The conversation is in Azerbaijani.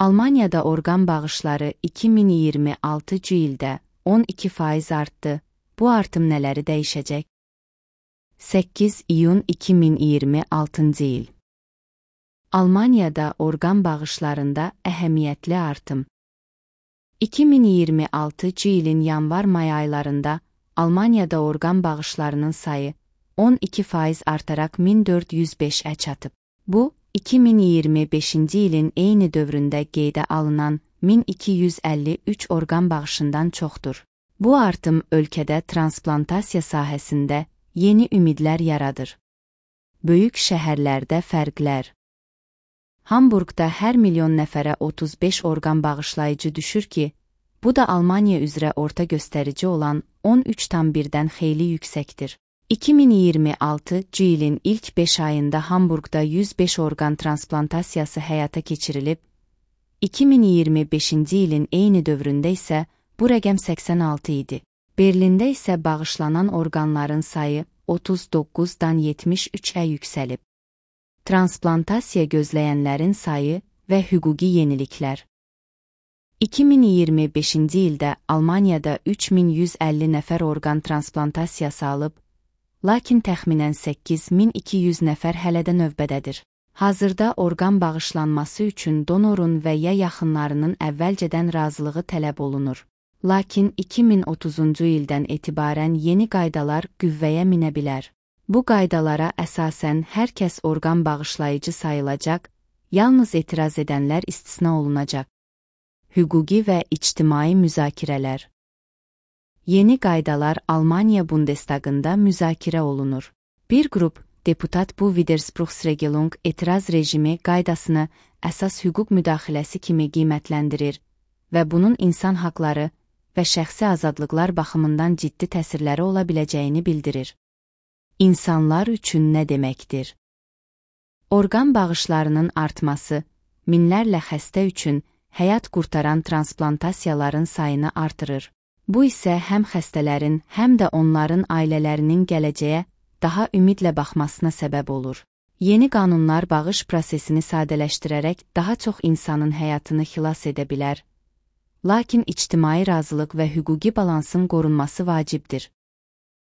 Almaniyada orqan bağışları 2026 ildə 12% artdı. Bu artım nələri dəyişəcək? 8 iyun 2026 il. Almaniyada orqan bağışlarında əhəmiyyətli artım. 2026 ilin yanvar-may aylarında Almaniyada orqan bağışlarının sayı 12% artaraq 1405-ə çatıb. Bu, 2025 ilin eyni dövründə qeydə alınan 1253 orqan bağışından çoxdur. Bu artım ölkədə transplantasiya sahəsində yeni ümidlər yaradır. Böyük şəhərlərdə fərqlər. Hamburqda hər milyon nəfərə 35 orqan bağışlayıcı düşür ki, bu da Almaniya üzrə orta göstərici olan 13,1-dən xeyli yüksəkdir. 2026 ilin ilk 5 ayında Hamburqda 105 orqan transplantasiyası həyata keçirilib, 2025 ilin eyni dövründə isə bu rəqəm 86 idi. Berlində isə bağışlanan orqanların sayı 39-dan 73-ə yüksəlib. Transplantasiya gözləyənlərin sayı və hüquqi yeniliklər. 2025 ildə Almaniyada 3150 nəfər orqan transplantasiyası alıb, lakin təxminən 8200 nəfər hələ də növbədədir. Hazırda orqan bağışlanması üçün donorun və ya yaxınlarının əvvəlcədən razılığı tələb olunur. Lakin 2030-cu ildən etibarən yeni qaydalar qüvvəyə minə bilər. Bu qaydalara əsasən hər kəs orqan bağışlayıcı sayılacaq, yalnız etiraz edənlər istisna olunacaq. Hüquqi və ictimai müzakirələr. Yeni qaydalar Almaniya Bundestagında müzakirə olunur. Bir qrup deputat bu Widerspruchsregelung etiraz rejimi qaydasını əsas hüquq müdaxiləsi kimi qiymətləndirir və bunun insan haqları və şəxsi azadlıqlar baxımından ciddi təsirləri ola biləcəyini bildirir. İnsanlar üçün nə deməkdir? Orqan bağışlarının artması, minlərlə xəstə üçün həyat qurtaran transplantasiyaların sayını artırır. Bu isə həm xəstələrin, həm də onların ailələrinin gələcəyə daha ümidlə baxmasına səbəb olur. Yeni qanunlar bağış prosesini sadələşdirərək daha çox insanın həyatını xilas edə bilər. Lakin ictimai razılıq və hüquqi balansın qorunması vacibdir.